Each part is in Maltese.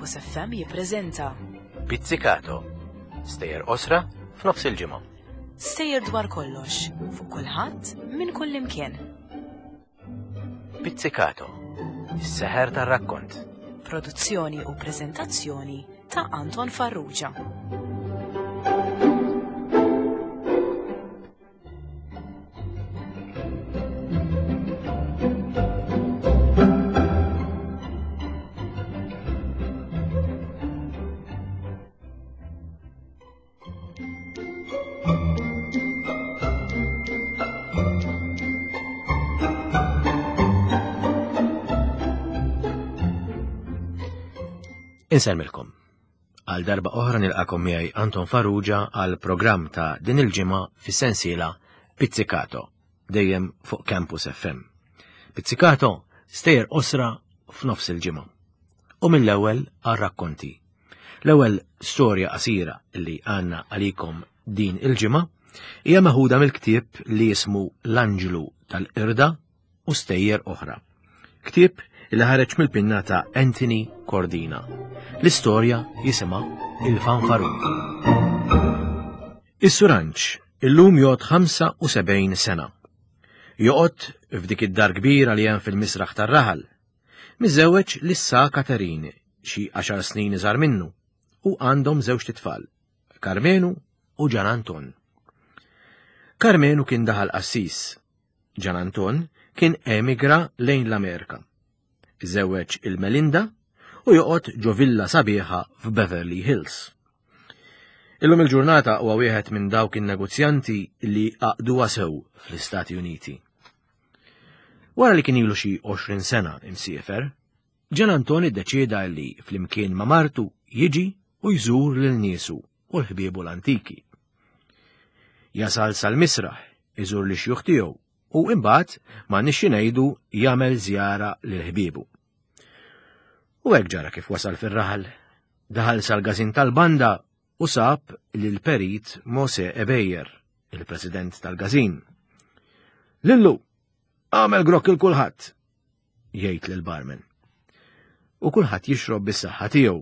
Campus FM jippreżenta Pizzicato, stejjer qosra f'nofs il-ġimgħa. Stejjer dwar kollox, fuq kulħadd, minn kull imkien. Pizzicato, is-seħer tar-rakkont. Produzzjoni u preżentazzjoni ta' Anton Farrugia. Insellmilkom. Għal darba oħra nilqakom miegħi Anton Farrugia għal programm ta' din il-ġimgħa fis-sensiela Pizzicato, dejjem fuq Campus FM. Pizzicato stejjer qosra f'nofs il-ġimgħa. U mill-ewwel għal rakkonti. L-ewwel storja qasira li għandna għalikom din il-ġimgħa hija meħuda mill-ktieb li jismu L-Anġlu tal-Qirda u stejjer oħra. Ktieb li ħareġ mill-pinna ta' Anthony Cordina. L-istorja jisimha Il-Fanfarun. Is-Suranċ illum jgħod 75 sena. Joqgħod f'dik id-dar kbira li hemm fil-misraħ tar-raħal. Miżewweġ lis-Sa Katerin, xi għaxar snin iżgħar minnu, u għandhom żewġt itfal, Karmenu u Ġan Anton. Karmenu kien daħal qassis, Ġan Anton kien emigra lejn l-Amerika. Iżewweġ il-Melinda u joqgħod ġo villa sabiħa f'Beverly Hills. Illum il-ġurnata huwa wieħed minn dawk in-negozjanti li għaqduha sew fl-Istati Uniti. Wara li kien ilu xi 20 sena imsiefer, Ġan Anton iddeċieda li flimkien ma' martu jiġi u jżur lil niesu u l-ħbiebu l-antiki. Jasal sal-misraħ, iżur li xjuħ tiegħu u imbagħad ma nixxi ngħidu jagħmel żjara lil ħbiebu. U hekk ġara kif wasal fir-raħal, daħal sal-gażin tal-banda u sab lil perit Mose Ebejer, il-president tal-gażin. Lillu, għamel grokk il kulħadd, jgħid lil barman. U kulħadd jixrob bis-saħħa tiegħu.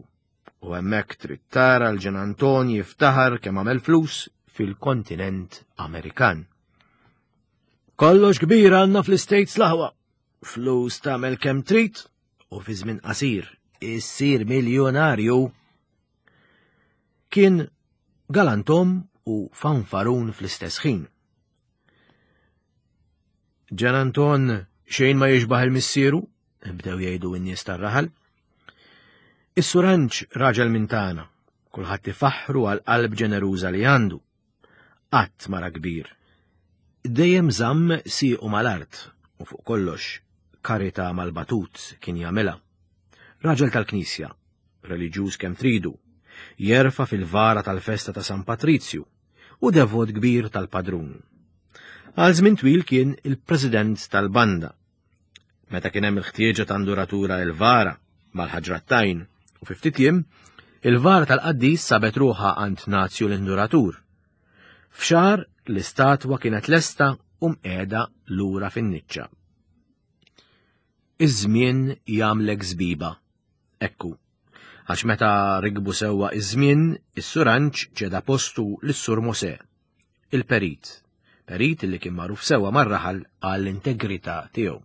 U hemmhekk trid tara l-Ġen Anton jiftaħar kemm għamel flus fil-kontinent Amerikan. Kollox kbir għandna fl-States l-aħwa. Flus tagħmel kemm trid u fi żmien qasir issir miljonarju. Kien galantom u fanfarun fl-istess ħin. Ġan Anton xejn ma jixbaħ il-missieru, bdew jgħidu n-nies tar-raħal. Is-suranċ raġel minn tagħna, kulħadd ifaħħru għal qalb ġeneruża li għandu. Qatt mara kbir. Dejjem żamm siequ mal-art u fuq kollox karità mal-batut kien jagħmilha. Raġel tal-Knisja, reliġjuż kemm tridu, jerfa' fil-vara tal-festa ta' San Patrizju u devot kbir tal-padrun. Għal żmien twil kien il-president tal-banda. Meta kien hemm il-ħtieġa ta' nduratura il-vara mal-ħaġrattajn u fi ftit jiem, il-vara tal-qaddis sabet ruħha għand Nazju l-induratur. F'xahar l-istatwa kienet lesta u mqiegħda lura fin-niċċa. Iż-żmien jagħmlek żbiba. Ekku, għax meta rikbu sewwa iż-żmien, is-Sur Anġ ċeda postu lis-Sur Mosè, il-perit, perit li kien magħruf sewwa mar-raħal għall-integrità tiegħu.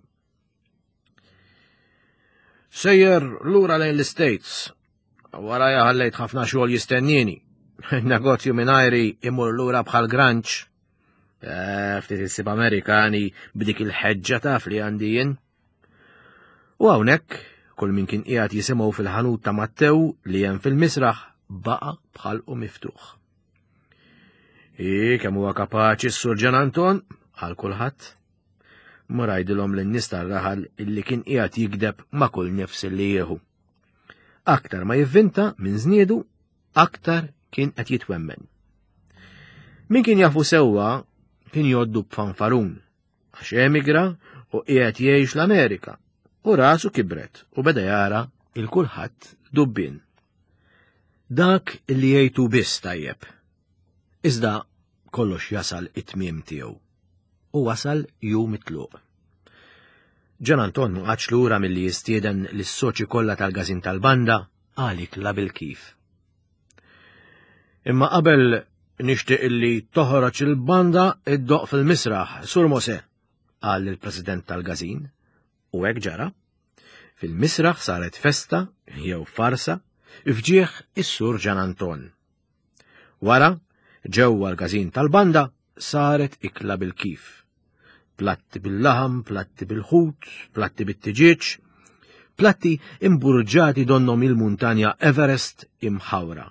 Sejjer lura lejn l-States. Warajja ħallejt ħafna xogħol jistennieni. Negozju mingħajri imur lura bħal granċ. Eh, ftit issib Amerikani b'dik il-ħeġġa taf li għandi jien. U hawnhekk, kull min kien qiegħed jisimgħu fil-ħanut ta' Mattew li hemm fil-misraħ baqa' bħalqu miftuħ. I kemm huwa kapaċi s-Sur Ġan Anton għal kulħadd. Mur għidilhom lin-nies tar-raħal illi kien qiegħed jigdeb ma' kull nifs illi jieħu. Aktar ma jivvinta minn żniedu, aktar kien qed jitwemmen. Min kien jafu sewwa kien joddu b'fanfarun għax emigra u qiegħed jgħix l-Amerika u rasu kibret u beda jara il kulħadd dubbien. Dak li jgħidu biss tajjeb. Iżda kollox jasal it-tmiem tiegħu. U wasal jum it-tluq. Ġan Anton ma qagħadx lura milli jistieden lis-soċi kollha tal-każin tal-banda. għal ikla bil-kif. Imma qabel nixtieq illi toħroġ il-banda iddoq fil-misraħ, Sur Mose, qal il-President tal-Gazin, u hekk ġara. Fil-misraħ saret festa jew farsa fġieħ is-Sur Ġan Anton. Wara, ġewwa l-każin tal-banda saret ikla bil-kif. Platti bil-laħam, platti bil-ħut, platti bit-tiġieġ, platti imburġati donnom il-muntanja Everest imħawra.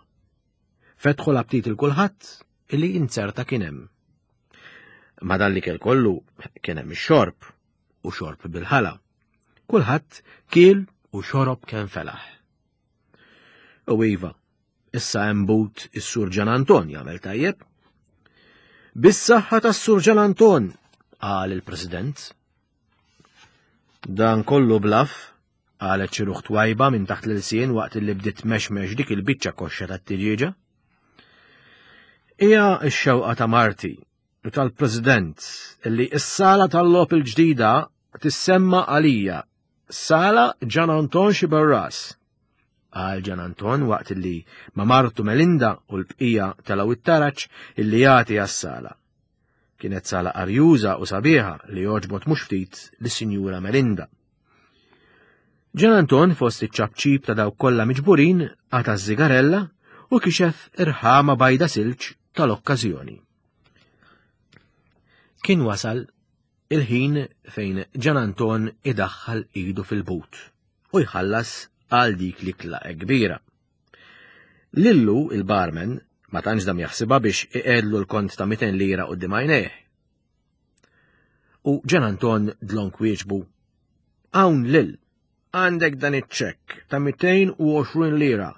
Fetħu l-aptit il-kulħadd illi inzerta kien hemm. Ma dan li kell kollu kien hemm ix-xorb u xorb bil-ħala. Kulħadd kiel u xorob kemm felaħ. U iva, issa hemm but is-Sur Ġan Anton jagħmel tajjeb. Bis-saħħa tas-Sur Ġan Anton, qal il-President. Dan kollu blaf, qalet xi ruħ twajba minn taħt l-ilsien waqt li bdiet mexmex dik il-biċċa koxxa tat-tiġieġa. Hija x-xewqa ta' Marti u tal-President li s-sala tal-logħob il-ġdida tissemma għalija Sala Ġan Anton Xiberras. Qal Ġan Anton waqt li ma' martu Melinda u l-bqija telgħu it-taraġ illi jagħti għas-sala. Kienet sala arjuża u sabiħa li għoġbot mhux ftit lis-Sinjura Melinda. Ġan Anton fost iċ-ċapċip ta' dawk kollha miġburin qata' ż-żigarella u kixef irħama bajda silġ tal-okkażjoni. Kien wasal il-ħin fejn Ġan Anton idaħħal idu fil-but u jħallas għal dik l-ikla kbira. Lillu il-barman ma tantx dam jaħsibha biex iqedlu l-kont ta' 200 lira quddiem għajnejh. U Ġan Anton dlonk wieġbu, Hawn lil, għandek dan iċ-ċekk ta' 220 lira.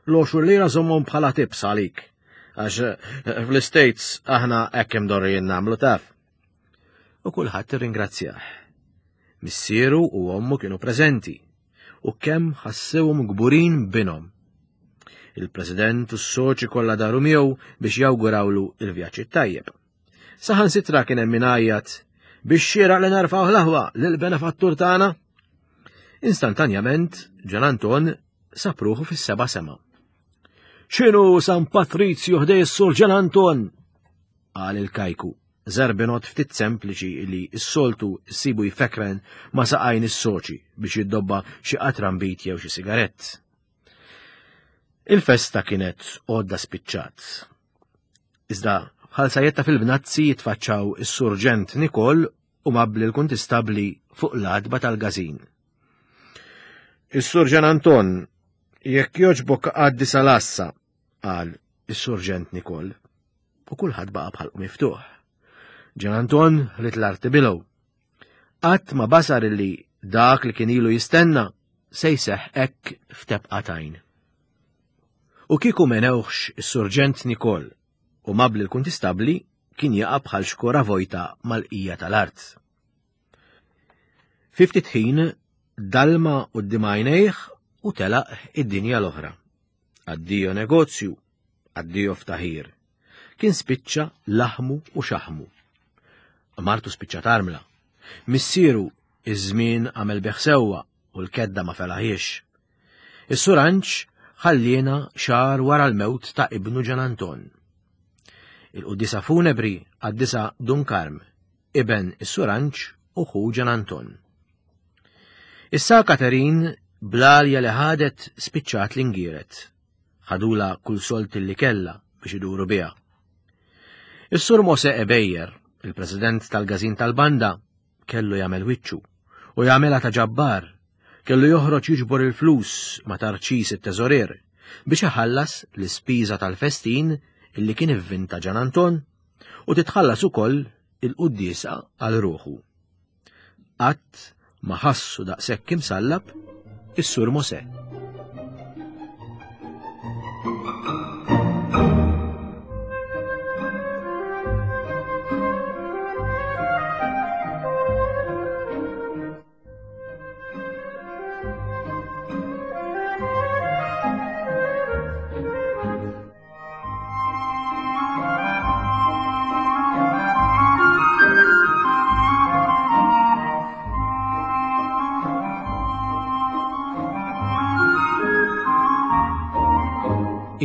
L-20 lira żommhom bħala tips għalik. Għax eh, fl-States aħna hekk imdorrijin nagħmlu taf. U kulħadd irringrazzjah. Missieru u ommu kienu preżenti u kemm ħassewhom kburin binhom. Il-President u s-soċi kollha daru miegħu biex jawgurawlu il-vjaġġ tajjeb. Saħansitra kien hemm min għajjat biex xieraq li nerfgħu l-aħwa lill-benefattur tagħna. Instantanjament, Ġan Anton sab ruħu fis-seba' sema. X'inhu San Patrizju ħdej is-Sur Ġan Anton? qal il-kajku, żarbinot ftit sempliċi li s-soltu ssibu jfekren ma' saqajn is-soċi biex jiddobba xi qatran bit jew xi sigarett. Il-festa kienet għodda spiċċat. Iżda bħal sajjetta fil-bnazzi jitfaċċaw is-Surġent Nikol u mabli l-kuntistabbli fuq l-għatba tal-gazin. Is-Surġen Anton, jekk joġbok għaddi sal-assa, qal is-Surġent Nikol, u kulħadd baqa' bħalqu miftuħ. Ġan Anton rid l-arti bilgħu. Qatt ma basar illi dak li kien ilu jistenna se jseħħ hekk f'tebqa tajn. U kieku menewħx is-Surġent Nikol u mabli l-kuntistabbli kien jaqa' bħal xkora vojta mal-qija tal-art. Fi ftit ħin dalma quddiem għajnejh u telaq id-dinja l-oħra. Addio negozju, addio ftaħir. Kien spiċċa laħmu u xaħmu. Martu spiċċa tarmla. Missieru iż-żmien għamel bih sewwa u l-kedda ma felaħiex. Is-Sur Anġ ħalliena xahar wara l-mewt ta' ibnu Ġan Anton. Il-quddiesa funebri qaddisha Dun Karm, iben is-Sur Anġ u ħu Ġan Anton. Issa Katerin bl-għalja li ħadet spiċċat l-ingieret. Ħadula kull solt li kellha biex iduru biha. Is-Sur Mose Ebejer, il-President tal-Gazin tal-Banda, kellu jagħmel wiċċu u jagħmilha ta' ġabbar, kellu joħroġ jiġbor il-flus ma' Tarċis it-teżorier biex iħallas l-ispiża tal-festin illi kien ivvinta Ġan Anton u titħallas ukoll il-quddiesa għal ruħu. Qatt ma ħassu daqshekk imsallab is-Sur Mosè.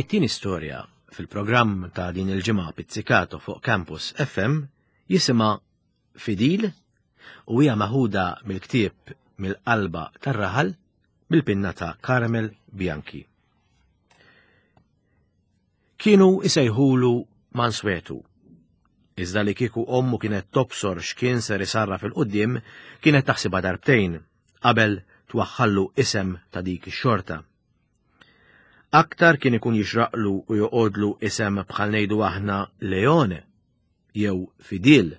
It-tieni storja fil-programm ta' din il-ġimgħa Pizzicato fuq Campus FM jisimha Fidil u hija maħuda mill-ktieb Mill-Qalba tar-Raħal bil-pinna ta' Carmel Bianchi. Kienu isejħulu Manswetu. Iżda li kieku ommu kienet tobsor x'kien ser isarraf il-quddiem, kienet taħsibha darbtejn qabel twaħħallu isem ta' dik ix-xorta. Aktar kien ikun jixraqlu u joqgħodlu isem bħal ngħidu aħna Leone jew Fidil.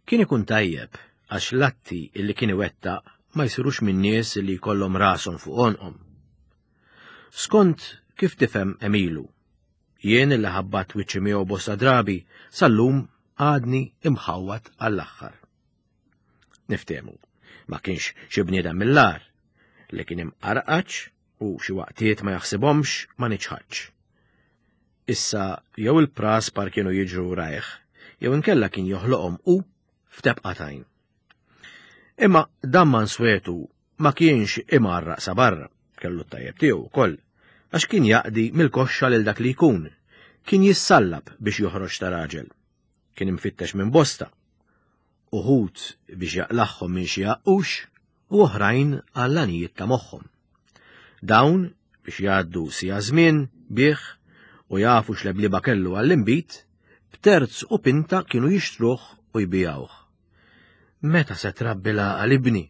Kien ikun tajjeb għax l-atti illi kien iwettaq ma jsirux minn nies li jkollhom rashom fuq għonqhom. Skont kif tifhem Emilu, jien illi ħabbat wiċċi miegħu bosta drabi sal-lum għadni imħawwad għall-aħħar. Niftehmu, ma kienx xi bniedem mill-agħar, li kien imqarqaċ u xi waqtiet ma jaħsibhomx ma niċħadx. Issa jew il-praspar kienu jiġru rajh, jew inkella kien joħloqhom hu f'tebqa t'għajn. Imma dan Manswetu ma kienx imarraq sa barra, kellu t-tajjeb tiegħu wkoll, għax kien jaqdi mill-koxxa lil dak li jkun, kien jissallab biex joħroġ ta' raġel. Kien imfittex minn bosta, uħud biex jaqlagħhom minn xi għaqqux u oħrajn għall-għanijiet ta' moħħhom. Dawn biex jgħaddu sija żmien bih u jafu x'lebliba kellu għall-inbid, b'terz u pinta kienu jixtruh u jbigħuh. Meta se trabbi l-għaqal ibni?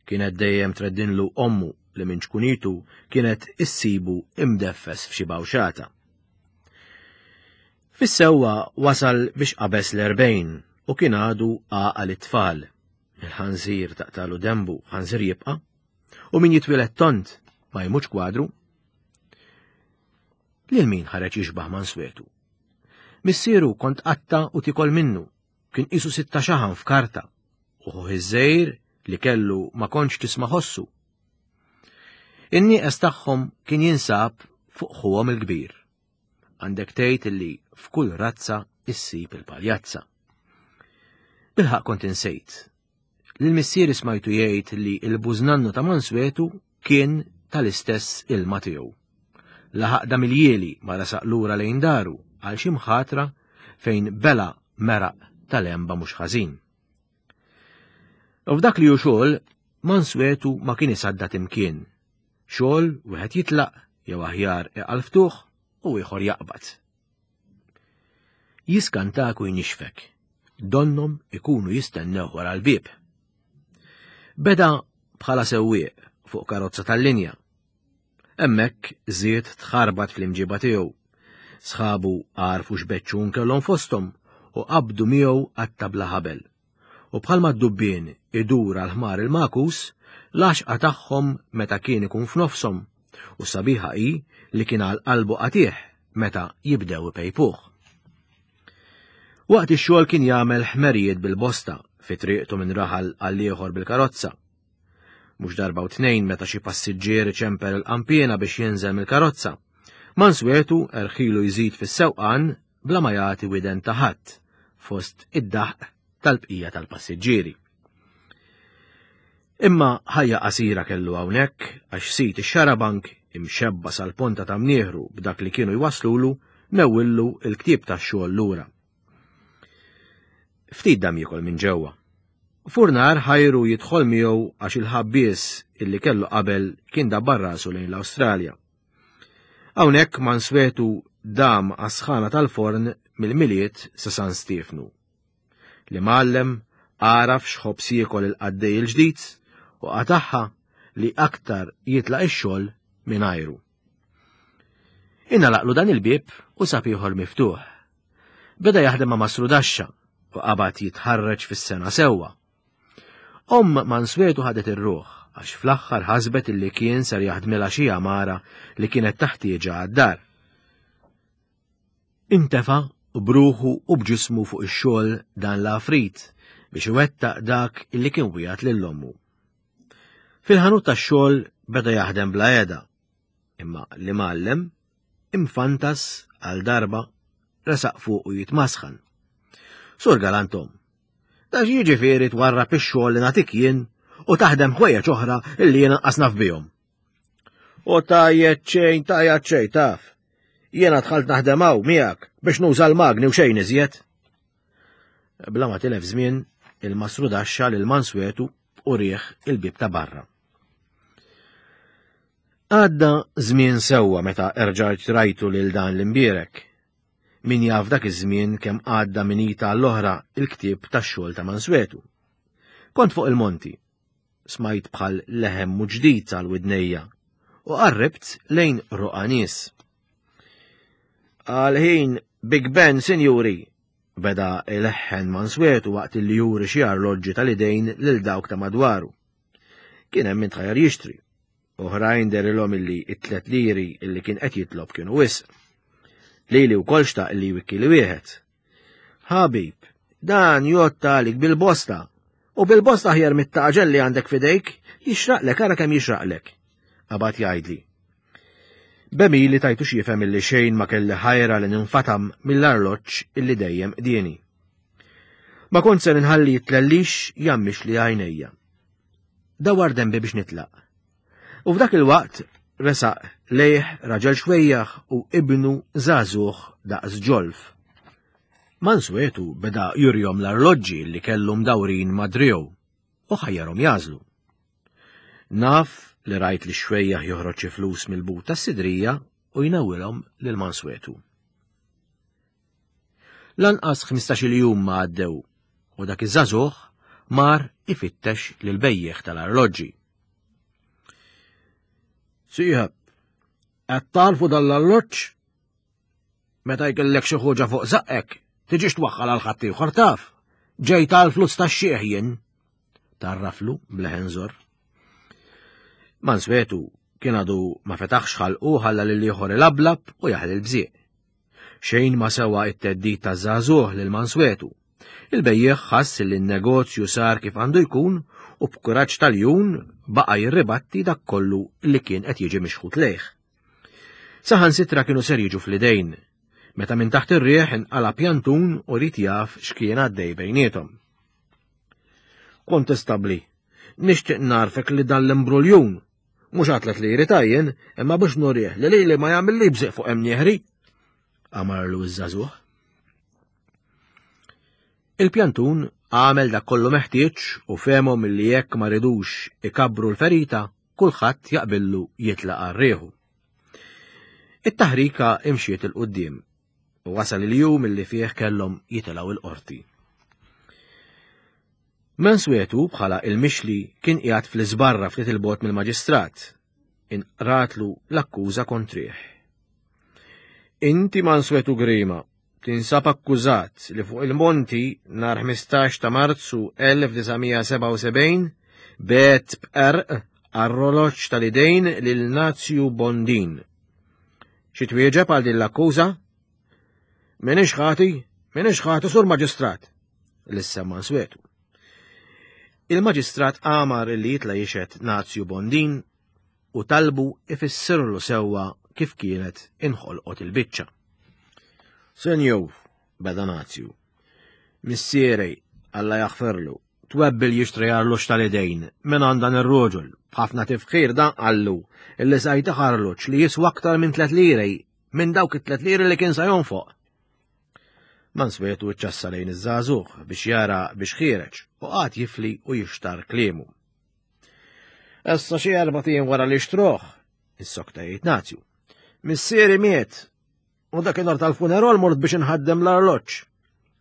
Kienet dejjem treddinlu ommu li minn ċkunitu kienet issibu imdeffes f'xi bawxata. Fis-sewwa wasal biex qabeż l-40 u kien għadu għaqal it-tfal. Il-ħanżir taqtalu denbu, ħanżir jibqa', u min jitwieled tond ma jmutx kwadru. Lil min ħareġ jixbah Manswetu? Missieru kont qatta u tikol minnu, kien qisu sitta xaħam f'karta, u ħuh iż-żgħir li kellu ma kontx tisma' ħossu. In-nieqes tagħhom kien jinsab fuq ħuhom il-kbir. Għandek tgħid illi f'kull razza issib il-paljazza. Bilħaq kont insejt. Lil missieri smajtu jgħid li l-bużnannu ta' Manswetu kien tal-istess ilma tiegħu. Laħaq dam il-jieli ma resaq lura lejn daru għal xi mħatra fejn bela meraq tal-emba mhux ħażin. U f'dak li hu xogħol, Manswetu ma kien isaddat imkien. Xogħol wieħed jitlaq jew aħjar iqalftuh u ieħor jaqbad. Jiskantak u jnixfek. Donnhom ikunu jistennew wara l-bieb. Beda bħala sewwieq fuq karozza tal-linja. Hemmhekk żied tħarbat fl-imġiba tiegħu. Sħabu għarfu x'beċċun kellhom fosthom u qabdu miegħu qatta bla ħabel. U bħalma d-dubbien idur għal ħmar il-magħkus, l-għaxqa tagħhom meta kien ikun f'nofshom, u s-sabiħa hi li kien għal qalbu qatigħ meta jibdew ipejpuh. Waqt ix-xogħol kien jagħmel ħmerijiet bil-bosta fi triqtu minn raħal għal ieħor bil-karozza. Mhux darba u tnejn meta xi passiġġier iċempel il-qanpiena biex jinżel mill-karozza. Manswetu erħilu jżid fis-sewqan bla ma jagħti widen ta' ħadd fost id-daħq tal-bqija tal-passiġġieri. Imma ħajja qasira kellu hawnhekk għax sid ix-xarabank imxebba sal-ponta ta' mnieħru b'dak li kienu jwasslulu newwillu l-ktieb tax-xogħol lura. Ftit dam jiekol minn ġewwa. Furnar ħajru jidħol miegħu għax il-ħabbies illi kellu qabel kien dabbar rasu lejn l-Awstralja. Hawnhekk Manswetu dam għas-sħana tal-forn mill-Milied sa San Stiefnu. L-imgħallem għaraf x'ħobż jiekol il-qaddej il-ġdid u qatagħha li aktar jitlaq ix-xogħol mingħajru. Ingħalaqlu dan il-bieb u sab ieħor miftuħ. Beda jaħdem ma' Masrudaxxa u qabad jitħarreġ fis-sena sewwa. Omm Manswetu ħadet ir-ruħ għax fl-aħħar ħasbet illi kien ser jaħdmilha xi għamara li kienet taħtieġa għad-dar. Intefa' b'ruħu u b'ġismu fuq ix-xogħol dan l-għafrit biex iwettaq dak illi kien wiegħed lil ommu. Fil-ħanut tax-xogħol beda jaħdem bla qiegħda, imma l-imgħallem imfantas għal darba resaq fuqu jitmasħan. Sur Galantom, da jiġifieri twarrab ix-xogħol li nagħtik jien u taħdem ħwejjeġ oħra illi jien anqas naf bihom. U tajjed xejn, tajjed xejn taf. Jiena dħalt naħdem hawn miegħek biex nuża l-magni u xejn iżjed. Bla ma tilef żmien, il-masru daxxa lil Manswetu u riħ il-bib ta' barra. Għadda żmien sewwa meta erġajt rajtu lil dan l-imbierek. Min jaf dak iż-żmien kemm għadda minn ita l-oħra il-ktieb tax-xogħol ta' Manswetu. Kont fuq il-monti, smajt bħal leħem mu ġdid għal widnejja u qarribt lejn roqa nies. Għal ħin Big Ben, sinjuri, beda ileħħen Manswetu waqt li juri xi arloġġi tal-idejn lil dawk ta' madwaru. Kien hemm min tħajjar jixtri. Oħrajn derilhom illi it-tlet liri illi kien qed jitlob kienu wisq. Lili wkoll xtaq li jwikki li wieħed. Ħabib, dan jotta għalik bil-bosta. U bil-bosta ħjar mit-taqġel li għandek fidejk, jixraqlek ara kemm jixraqlek. Qabad jgħidli. Bemili tajtu x'jifhem illi xejn ma kelli ħajra li ninfatam mill-arloġġ illi dejjem qdieni. Ma kont se nħalli jitlellix jammix li għajnejja. Dawar dembi biex nitlaq. U f'dak il-waqt resaq lejh raġel xwejjaħ u ibnu żagħżugħ daqs ġolf. Manswetu beda jurjom l-arloġġi li kellu mdawrin ma' driegħu u ħajjarhom jażlu. Naf li rajt li xwejjaħ joħroġ xi flus mill-but tas-sidrija u jnawwilhom lil Manswetu. Lanqas 15-il jum ma għaddew u dak iż-żagħżugħ mar ifittex lil bejjiegħ tal-arloġġi. Sieħeb, qed tarfu dan l-arloġġ? Meta jkellek xi ħuġa fuq żaqqek, tiġix twaħħal għal ħaddieħor taf. Ġejt għal flus tax-xiħ jien. Tarraflu bleħen żor. Manswetu kien għadu ma fetaħx ħalqu ħalla lil ieħor ilablab u jaħli l-bżieq. Xejn ma sewa it-theddid taż-żagħżugħ lil Manswetu. Il-bejjiegħ ħass li n-negozju sar kif għandu jkun u b'kuraġġ tal-jun baqa' jirribatti dak kollu li kien qed jiġi mixħut lejh. Saħansitra kienu ser jiġu fl-idejn, meta minn taħt ir-riħ inqala' pjantun u ried jaf x'kien għaddej bejniethom. Kontestabbli, nixtieq narfek li dan l-imbruljun Mhux għatlet li jrid jien, imma biex nurih li lili ma jagħmilli bżieq fuq hemm nieħri. Amarlu iż-żagħżugħ. Il-pjantun għamel dak kollu meħtieġ u fehmhom li jekk ma ridux ikabbru l-ferita, kulħadd jaqbillu jitlaq għar-rieħu. It-taħrika imxiet il-qudiem u wasal il-jum illi fih kellhom jitilgħu il-qorti. Manswetu bħala il-mixli kien qiegħed fl-iżbarra ftit il-bogħod mill-maġistrat. Inqratlu l-akkuża kontrih. Inti Manswetu Grima, tinsab akkużat li fuq il-monti nhar 15 ta' Marzu 1977 bet b'qerq arroloġġ tal-idejn lil Nazju Bondin. Xi twieġeb għal din l-akkuża? Minix ħati, minix ħati sur maġistrat. Lissa Manswetu. Il-maġistrat għamar li jitla jixed Nazju Bondin u talbu ifissirlu sewwa kif kienet inħolqot il-biċċa. Senjur, beda Nazju, missieri, Alla jaħferlu, twebbil jixtri arloġġ tal-idejn minn għand dan ir-roġol, b'ħafna tifħir dan qallu illi sa jtih arloġġ li jiswa aktar minn tlet liri minn dawk it-tlet liri li kien sa jonfoq. Manswetu ċċassa lejn iż-żagħżugħ biex jara biex ħiereġ u qagħad jifli u jixtar kliemu. Issa xi erba' tiem wara li xtruh, is-sokta jgħid Nazju. Missieri miet u dakinhar tal-funeral mort biex inħaddem l-arloġġ.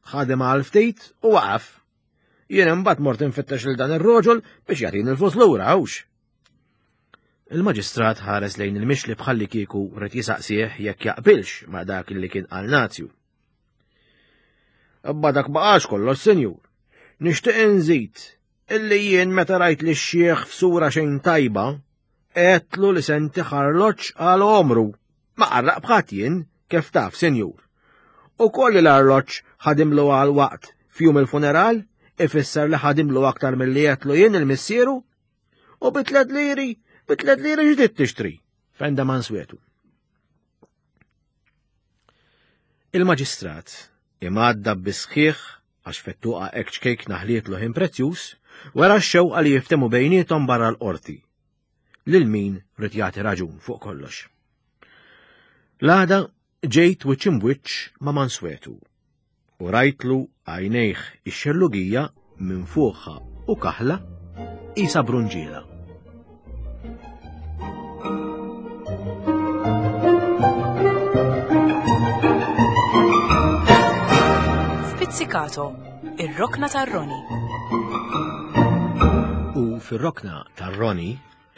Ħadem għal ftit u waqaf. Jien imbagħad mort infittex lil dan ir-roġol biex jagħtini l-flus lura hux. Il-maġistrat ħares lejn il-mixli bħalli kieku rid jisaqsih jekk jaqbilx ma' dak li kien qal Nazju. Abba dak baqax kollox, sinjur. Nixtieq inżid illi jien meta rajt li x-xieħ f'sura xejn tajba, għedtlu li se ntih arloġġ għal għomru. Ma qarraq b'ħadd jien, kif taf, sinjur. U koll l-arloġġ ħadimlu għal waqt f'jum il-funeral, ifisser li ħadimlu aktar milli għedtlu jien il-missieru U bi tlet liri, bi tlet liri ġdid tixtri, fenda Manswetu. Il-maġistrat imgħadda bisħiħ għax fettuqa hekk ċkejk naħlietlu ħin prezzjuż, wara x-xewqa li jiftemu bejniethom barra l-qorti. Lil min rid jagħti raġun fuq kollox. L-għada. ġejt wiċċ imbwiċċ ma' Manswetu u rajtlu għajnejh ix-xellugija minn fuqha u kaħla qisha brunġiela. F'Pizzicato, ir-rokna tar-Roni. U fir-rokna tar-Roni,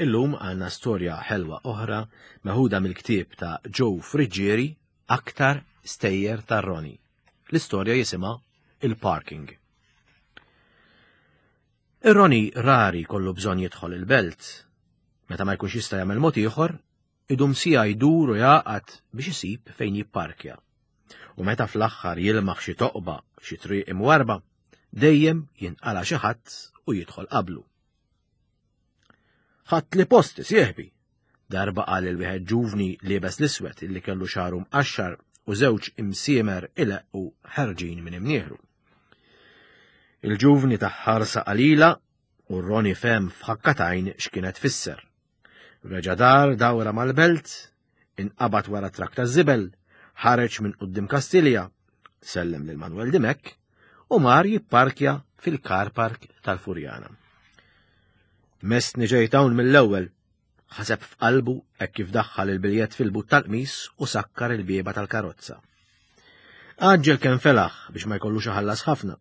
illum għandna storja ħelwa oħra meħuda mill-ktieb ta' Joe Friggieri Aktar Stejjer tar-Roni. L-istorja jisimha Il-Parking. Ir-Roni rari kollu bżonn jidħol il-belt. Meta ma jkunx jista' jagħmel mod ieħor, idum sija jdur u jaqgħad biex isib fejn jipparkja. U meta fl-aħħar jilmaħ xi toqba f'xi triq imwarba, dejjem jinqala xi ħadd u jidħol qablu. Ħadd li posti sieħbi, darba qal il-wieħed ġuvni liebes l-iswed illi kellu xagħru mqaxxar u żewġ imsiemer ileqqu ħerġin minn imnieħru. Il-ġuvni ta' ħarsa qalila u Roni fehem f'ħakkatajn x'kienet tfisser. Reġa' dar dawra mal-belt, inqabad wara trak ta' żibel, ħareġ minn quddiem Kastilja, sellem lil Manuel Dimek u mar jipparkja fil-car park tal-Furjana. Messni ġejt hawn mill-ewwel, ħaseb f'qalbu hekk kif daħħal il-biljett fil-but tal-qmis u sakkar il-bieba tal-karozza. Għaġġel kemm felaħ biex ma jkollux iħallas ħafna.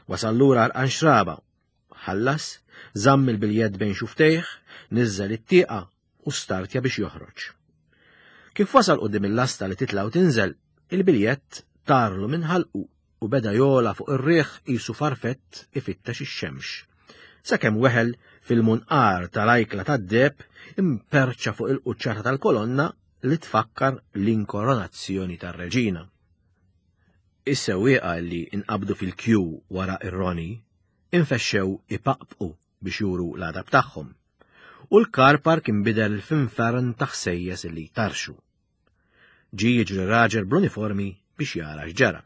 Wasal lura għarqan xraba. Ħallas, żamm il-biljett bejn xuftejh, niżżel it-tieqa u startja biex joħroġ. Kif wasal quddiem il-lasta li titla' u tinżel, il-biljett tarlu minn ħalqu u beda jogħla fuq ir-riħ qisu farfett ifittex ix-xemx. Sakemm weħel fil-munqar tal-ajkla tad-deheb imperċa fuq il-quċċata tal-kolonna li tfakkar l-inkoronazzjoni tar-reġina. Is-sewwieqa li nqabdu fil-kju wara ir-Roni infexxew ipaqpqu biex juru l-għadab tagħhom. U l-car park inbidel f'infern ta' ħsejjes li jtarxu. Ġie jiġri raġel bl-uniformi biex jara x'ġara.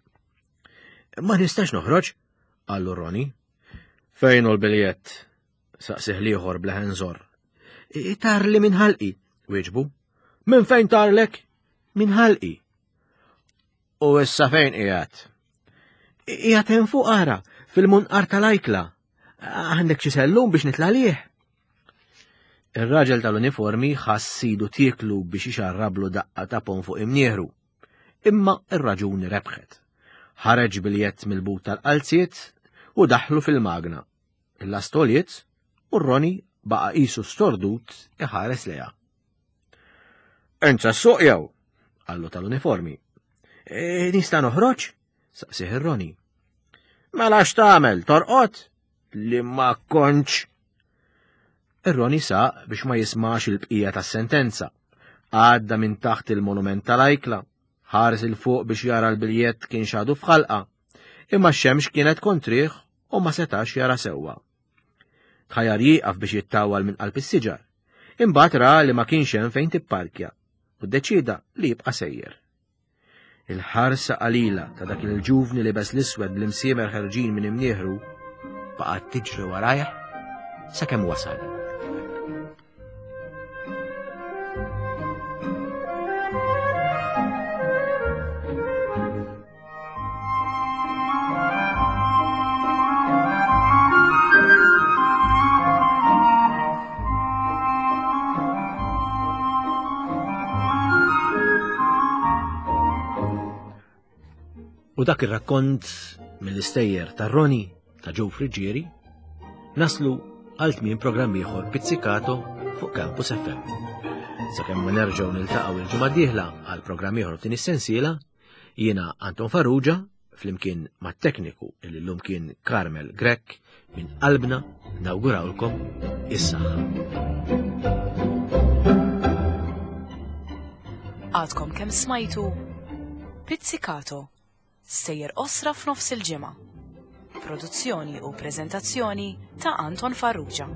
Ma nistax noħroġ, qallu Roni. Fejn hu l-biljett? Saqsih l-ieħor b'leħen żorr. Tarli minn ħalqi, wieġbu. Minn fejn tarlek? Minn ħalqi. U issa fejn qiegħed? Qiegħed hemm fuq ara, fil-munqar tal-ajkla. Għandek xi sellum biex nitla' lih? Ir-raġel tal-uniformi ħass sidu tieklu biex ixarrablu daqqa ta' pon fuq imnieħru. Imma ir-raġuni rebħet. Ħareġ biljett mill-but tal-qalziet u daħlu fil-magna. Il-lastoliet u r-Roni baqa' qisu stordut iħares lejha. Enza s-suq jew? Qallu tal-uniformi. E, nista' noħroġ? Saqsih ir-Roni. Mela x'tagħmel, torqod? Li ma kontx. Ir-Roni saq biex ma jismax il-bqija tas-sentenza. Għadda minn taħt il-monument tal-ajkla, ħares il fuq biex jara l-biljett kien xadu f'ħalqa. Imma x-xemx kienet kontrih u ma setax jara sewwa. Tħajar jieqaf biex jittawal minn qalb is-siġar. Imbagħad ra li ma kienx hemm fejn tipparkja u ddeċieda li jibqa' sejjer. Il-ħarsa qalila ta' dak il-ġuvni libes l-iswed bl-imsiemer ħerġin minn imnieħru baqgħet tiġri warajh sakemm wasal. U dak ir-rakkont mill-istejjer ta' Roni ta' Joe Friggieri naslu għal tmien programm ieħor Pizzicato fuq Campus FM. Sakemm ma nerġgħu niltaqgħu il-ġimgħa d-dieħla għal programm ieħor f'din is-sensiela, jiena Anton Farrugia flimkien mat-tekniku li llum kien Carmel Grech minn qalbna nawgurawlkom is-saħħa. Għadkom kemm smajtu Pizzicato, sejjer osra f'nofs il-ġimgħa. Produzzjoni u preżentazzjoni ta' Anton Farrugia.